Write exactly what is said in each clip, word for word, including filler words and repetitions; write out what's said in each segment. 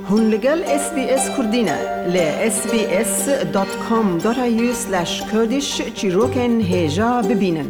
Hûn li gel S B S Kurdî ne. Li S B S dot com dot A U slash Kurdish çîrokên hêja bibînin.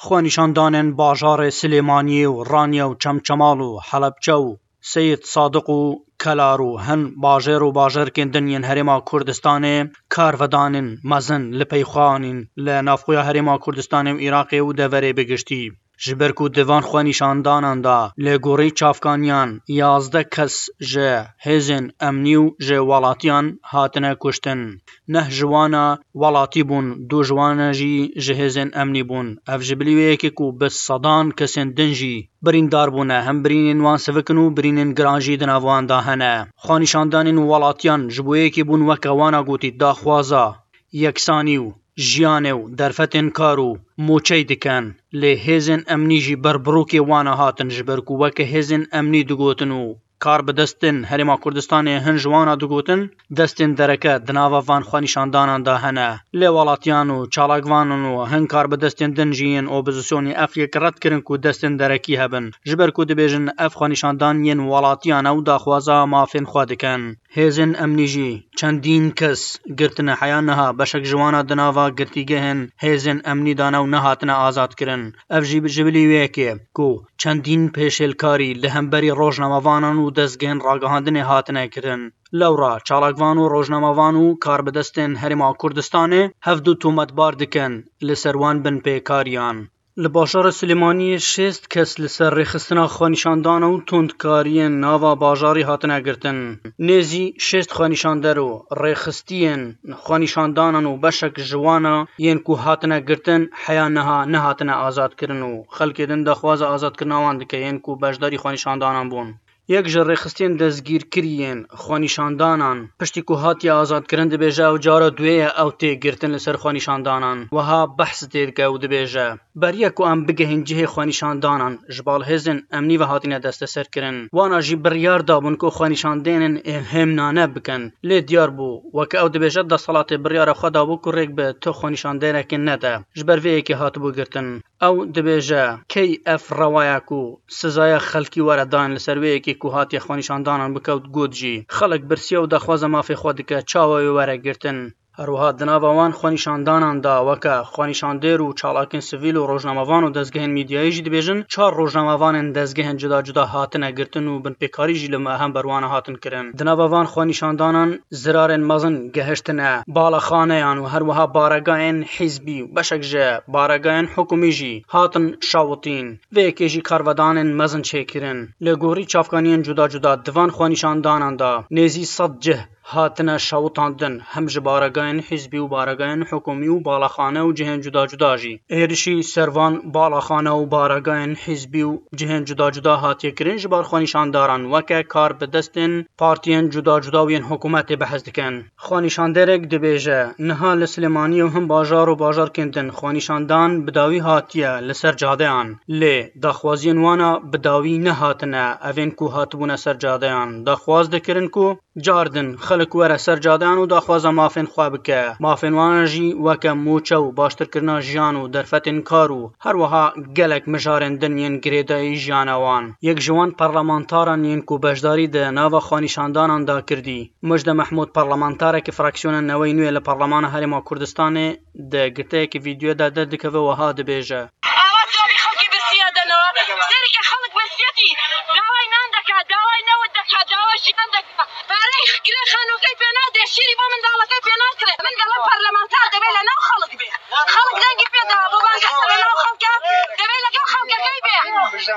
Xwenîşandanên bajarê Silêmaniyê û Raniye û Çemçemal û Helebçe û Seyid Sadiq û Kelar û hin bajêr û bajarkên din yên Herêma Kurdistanê karvedanên mezin li pey xwe anîn li navxweya Herêma Kurdistanê û Iraqê û deverê bi giştî. Ji ber ku di van xwenîşandanan de li gorî çavkaniyan yazdeh kes ji hêzên emnî û ji welatiyan hatine kuştin. Neh ji wana welatî bûn, du ji wan jî ji hêzên emnî bûn. Ev ji bilî wê yekê ku bi sedan kesên din jî birîndar bûne, hem birînên wan sivik in û birînên giran jî di nav wan de hene. Xwenîşandanên welatiyan ji bo yekê bûn weke wana gotî daxwaza yeksanî û jiyanê û derfetên kar û moçey dikin. Lê hêzên emnî jî berbirokê wana hatin, ji ber ku weke hêzên emnî digotin û kar bi destên Herêma Kurdistanê hin ji wana digotin, destên dereke di nava van xwenîşandanan de hene. Lê welatiyan û çalakvanan û hin kar bi destên din jî yên opozisyonê ev yek red kirin ku destên derekî hebin. Ji ber ku dibêjin ev xwenîşandan yên welatiyan e û daxwaza mafên xwe dikin. Hêzên emnî jî çendîn kes girtine, heya niha beşek ji wana di nava girtîgehên hêzên emnî de ne û nehatine azadkirin. Ev jî ji bilî wê yekê ku çendîn pêşêlkarî li hemberî rojnamevanan û dezgehên ragihandinê hatine kirin. Lewra çalakvan û rojnamevan û karbidestên Herêma Kurdistanê hevdu tometbar dikin li ser wan binpêkariyan. Li bajarê Silêmaniyê şêst kes li ser rêxistina xwenîşandana û tundkariyên nava bajarî hatine girtin. Nêzî şêst xwenîşander û rêxistiyên xwenîşandanan û beşek ji wana yên ku hatine girtin heya niha nehatine azadkirin û xelkê din daxwaza azadkirina wan dike, yên ku beşdarî xwenîşandanan bûn. Yek ji rêxistiyên destgîrkirî yên xwenîşandanan, piştî ku hatiye azadkirin, dibêje ew cara duyê ye ew tê girtin li ser xwenîşandanan. Wiha behs tê dike û dibêje, beriya ku em bigehên cihê xwenîşandanan, ji bal hêzên emnî ve hatine desteserkirin. Wana jî biryar dabûn ku xwenîşandênên hêmnane bikin. Lê diyar bû, weke ew dibêje, desthilatê biryara xwe dabû ku rêk bi tu xwenîşandênekê nede. Ji ber vê yekê hatibû girtin. Ew dibêje, key ev rewa ye ku sizaya xelkî were dayîn li ser wê yekê ku hatiye xwenîşandanan bikewt got jî, xelk birsiye û daxwaza mafê xwe dike, çawa wê were girtin? Her wiha di nava wan xwenîşandanan de weke xwenîşandêr û çalakên sivîl û rojnamevan û dezgehên mîdyayî jî dibêjin, çar rojnamevanên dezgehên cuda cuda hatine girtin û binpêkarî jî li me hember wana hatin kirin. Di nava van xwenîşandanan zirarên mezin gehiştine balaxaneyan û her wiha baregayên hîzbî û beşek ji baregayên hikûmî jî hatin şawitîn. Vê yekê jî karvedanên mezin çêkirin. Li gorî çavkaniyên cuda cuda di van xwenîşandanan de nêzî sed cih hatine şewitandin, hem ji baregayên hîzbî û baregayên hikûmî û balaxane û cihên cuda cuda jî. Êrişî ser van balaxane û baregayên hîzbî û cihên cuda cuda hatiye kirin ji bar xwenîşandaran, weke kar bi destên partiyên cuda cuda û yên hikûmetê behs dikin. Xwenîşandêrek dibêje, niha li Silêmaniyê û hin bajar û bajarkên din xwenîşandan bi dawî hatiye li ser cadeyan, lê daxwaziyên wana bi dawî nehatine, evên ku hatibûne ser cadeyan daxwaz dikirin ku car din xelk were ser cadeyan û daxwaza mafên xwe bike. Mafên wan jî weke mûçe û baştirkirina jiyan û derfetên kar û her wiha gelek mijarên din yên girêdayî jiyana wan. Yek ji wan parlamentaran yên ku beşdarî di nava xwenîşandanan de kirdî, Mujde Mehmûd, parlamentarekî fraksiyona Newey Nû yê li Parlemana Herêma Kurdistanê, di girteyekî vîdyoyê de derdikeve, wiha dibêje. Awa dawî xelkê birsiya danawa. Sereke xelk birsiyetî. Daway nan deka, daway newid deka, daway jiyan deka. Parey girê xanokey pê nade, şîrî bo mindalekey pê nakire. Mindala parlamenter debê li nav xelk bê. Xelk dengî pê da, bo bangesa li nav xelke. Debê legel xelkekey bê.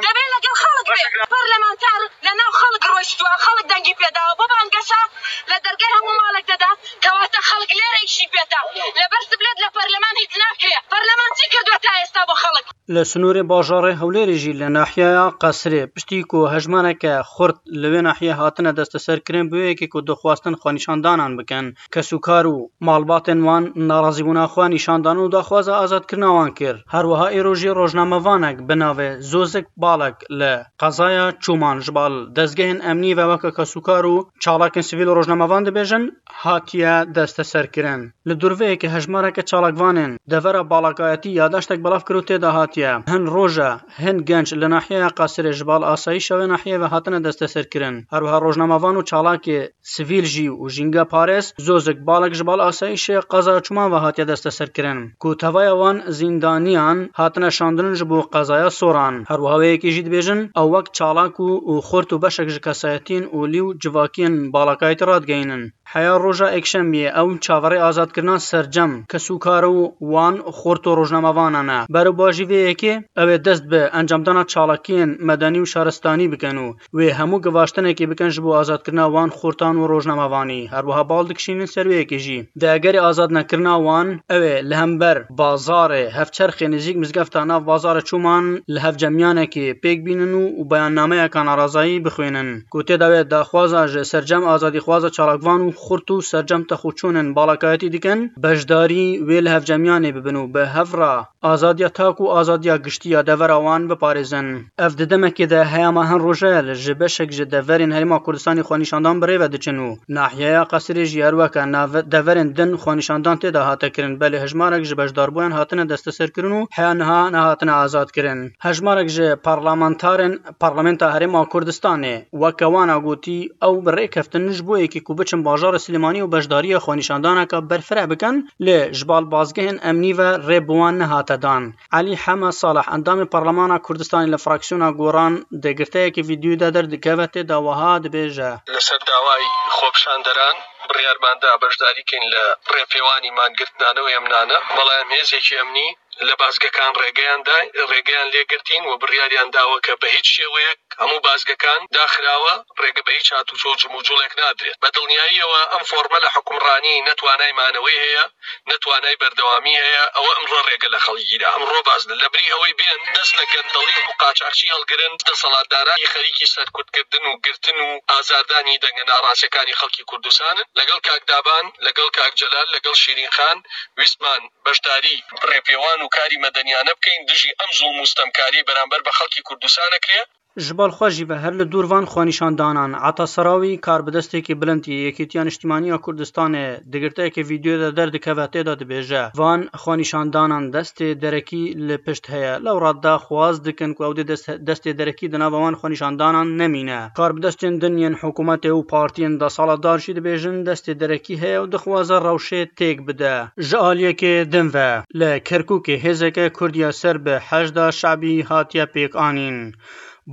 Debê legel xelk bê. Parlamenter li nav xelk roştuwa, xelk dengî pê da. Bo bangesa li dergeh hemû malek de da. Kewate xelk lêre îşî pê da. Li ber siblêt li parleman hîç nakire. Parleman çi kirdo ta êsta bo xelk? Li sînorê bajarê Hewlêrê jî li nahiyeya Qesrê, piştî ku hejmareke xurt li wê nahiyê hatine desteserkirin, bi wê yekê ku dixwastin xwenîşandanan bikin, kesûkar û malbatên wan narazîbûna xwe nîşan dan û daxwaza azadkirina wan kir. Her wiha îro jî rojnamevanek bi navê Zozik Balek li qezaya Çûman ji bal dezgehên emnî ve weke kesûkar û çalakên sivîl û rojnamevan dibêjin, hatiye desteserkirin. Li dûrveyekê hejmareke çalakvanên devera balakayetî ya daştek belav kir û tê de hatiye ye. Hin roja hin genç li nahiyeya Qasirê ji bal asayîşa wê nahiyê ve hatine desteserkirin. Her wiha rojnamevan û çalakê sivîl jî û jîngeparêz zozek balek ji bal asayîşê qezaya Çûman ve hatiye desteserkirin, ku tevaya wan zîndaniyan hatine şandin ji bo qezaya Soran. Her wiha wê yekê jî dibêjin, ew wek çalak û, û xurt û beşek ji kesayetiyên olî û civakiyên balakayetî radigihînin. Heya roja Ekşembiyê ew çaverê azadkirina sercem kesûkar û wan xurt û rojnamevanan e. Berovajî vê yekê ew ê dest bi encamdana çalakiyên medenî û şaristanî bikin û wê hemû givaştinekê bikin ji bo azadkirina wan xurtan û rojnamevanî. Her wiha bal dikişînin ser wê yekê jî. Di egerê azadnekirina wan, ew ê li hember bazarê Hevçerxê nêzîk mizgefta nav bazarê Çûman li hevcemiyanekê pêk bînin û, û beyannameyeka narazayî bixwînin, ku tê de wê daxwaza ji sercem azadîxwaza çalakvan û xurt û sercem texûçûnên balakayetî dikin, beşdarî wê li hevcemiyanê bibin û bi hev re azadiya tak û azadiya giştî ya devera wan biparêzin. Ev di demekê de heyama hin roje ye li ji beşek ji deverên Herêma Kurdistanê xwenîşandan bi rê ve diçin û nahiyeya Qesirê jî her weke nave-, deverên din xwenîşandan tê de hate kirin, belê hejmarek ji beşdarbûyan hatine desteserkirin û heya niha nehatine azadkirin. Hejmarek ji parlamentarên Parlamenta Herêma Kurdistanê weke wan a gotî, ew bi rê keftin ji bo yekê ku biçin bajarê Silêmaniyê û beşdariya xwenîşandaneke berfireh bikin, lê ji bal bazgehên emnî ve rê bi wan nehate dan. Elî Heme Salih, endamê Parlemana Kurdistanê li fraksiyona Goran, di girteyekê vîdyoyê de derdikeve, tê de wiha dibêje. لەسەر داوای خۆپیشاندەران بڕیارمان دا بەشداری کەین لە ڕێپێوانی مانگرتنانە و هێمنانە، بەڵام هێزێکی ئەمنی لە بازگەکان ڕێگەیان دا، ڕێگەیان لێگرتین و بڕیاریان داوە کە بە هیچ شێوەیەک هەموو بازگەکان داخراوە، ڕێگە بە هیچ هاتوچۆ و جموجوڵێک نادرێت. بە دڵنیاییەوە ئەم فۆرمە لە حکومڕانی نەتوانای مانەوەی هەیە، نەتوانای بەردەوامی هەیە، ئەوە ئەمڕۆ ڕێگە لە خەڵکی گیرا. ئەمڕۆ باز لە بری ئەوەی بێن دەست لە گەندەڵی و قاچاخچی هەڵگرن، دەسەڵاتدارانی خەریکی سەرکوتکردن و گرتن و ئازاردانی دەنگە ناڕاستیەکانی خەڵکی کوردستانن. لەگەڵ کاک دابان، لەگەڵ کاک جەلال، لەگەڵ شیرین خان ویستمان بەشداری ڕێپێوان و کاری مەدەنیانە بکەین دژی ئەم زوڵم و ستەمکاری بەرامبەر بە خەڵکی کوردستان ئەکرێ. Ji bal xwe jî ve her li dûr van xwenîşandanan. Ata Serawî, karbidestekî bilind yê Yekîtiya Niştimanî ya Kurdistanê, di girteyeke vîdyoyê de derdikeve, tê de dibêje, van xwenîşandanan destê derekî li pişt heye. Lewra daxwaz dikin ku ew dê dest-, destê derekî di nava wan xwenîşandanan nemîne. Karbidestên din yên hikûmetê û partiyên desthilatdar jî dibêjin destê derekî heye û dixwaze rewşê têk bide. Ji aliyekê din ve, li Kerkûkê hêzeke Kurd ya ser bi Heşda Şebî hatiye pêkanîn.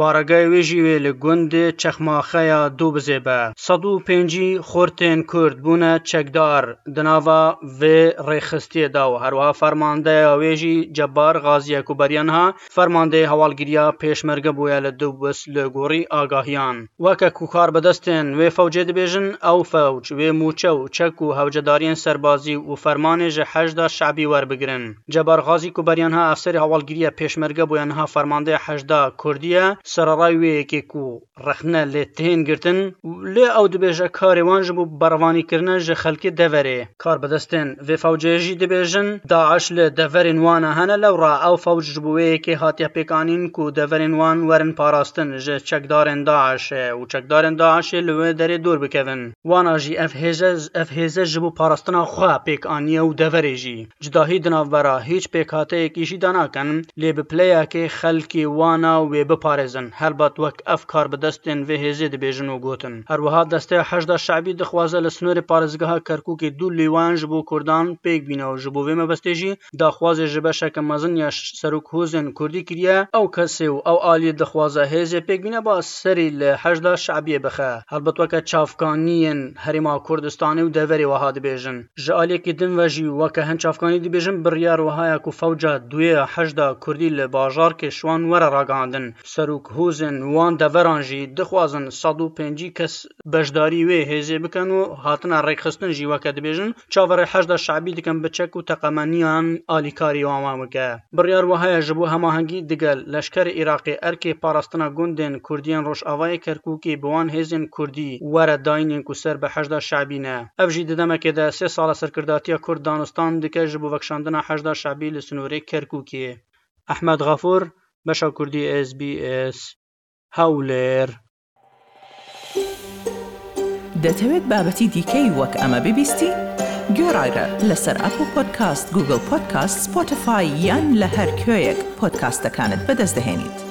Baregayê wê jî wê li gundê Çexmaxe ya Dûbizê be. Sed û pêncî xurtên Kurd bûne çekdar di nava vê rêxistiyê de û herwiha fermandeya wê jî Cebar Xaziye ku beriya niha fermandeyê hewalgiriya pêşmerge bûye li Dûbiz li gorî agahiyan. Weke ku karbidestên wê fewcê dibêjin, ew fewc wê mûçe û çek û hewcedariyên serbazî û fermanê ji Heşda Şebî werbigirin. Cebar Xazî ku beriya niha efserê hewalgiriya pêşmerge bûye, niha fermandeya Heşda Kurdî ye, sererayê wê yekê ku rexne lê tên girtin, lê ew dibêje karê wan ji bo berevanîkirine ji xelkê deverê. Karbidestên vê fewcê jî dibêjin, DAIŞ li deverên wan a hene, lewra ew fewc ji bo wê yekê hatiye pêkanîn ku deverên wan werin parastin ji çekdarên DAIŞê û çekdarên DAIŞê li wê derê dûr bikevin. Wana jî ev hêze, ev hêze ji bo parastina xwe pêk aniye û deverê jî. Cudahî di navbera hîç pêkhateyekî jî danakin, lê bi pileyekê xelkê wana wê biparêzin. Helbet wek ev karbidestên vê hêzê dibêjin û gotin. Her wiha Desteya Heşda Şebî dixwaze li snorê parêzgeha Kerkûkê du lîwan ji bo Kurdan pêk bîne û ji bo vê mebestê jî daxwazê ji beşeke mezin ya ş-, serok hozên Kurdî kiriye. Ew kesê û ew aliyê dixwaze hêzê pêk bîne ba serî li Heşda Şebiyê bixe. Helbet weke çavkaniyên Herêma Kurdistanê û deverê wiha dibêjin. Ji aliyekî din ve jî weke hin çavkanî dibêjin, biryar wiha ye ku fewca duyê ya Heşda Kurdî li bajarkê Şiwan were ragihandin. Serok hozên wan deveran jî dixwazin sed û pêncî kes beşdarî wê hêzê bikin û hatina rêkxistin jî weke dibêjin, çaverê Heşda Şebî dikin bi çek û teqemeniyan alîkarî wan bike. Biryar wiha ye ji bo hemahengî digel leşkerê Iraqê erkê parastina gundên Kurdiyên Rojavayê Kerkûkê bi wan hêzên Kurdî were dayînên ku ser bi Heşda Şebî ne. Ev jî di demekê de sê sala serkirdatiya Kurd danistan dike ji bo vekişandina Heşda Şebî li sinorê Kerkûkê. Ehmed Xafûr, Beşa Kurdî, S B S, Hewlêr. دەتەوێت بابەتی دیکەی وەک ئەمە ببیستی؟ گۆڕایرە لەسەر ئەپڵ پۆدکاست، گوگڵ پۆدکاست، سپۆتیفای یان لە هەر کوێیەک پۆدکاستەکانت بەدەست دەهێنیت.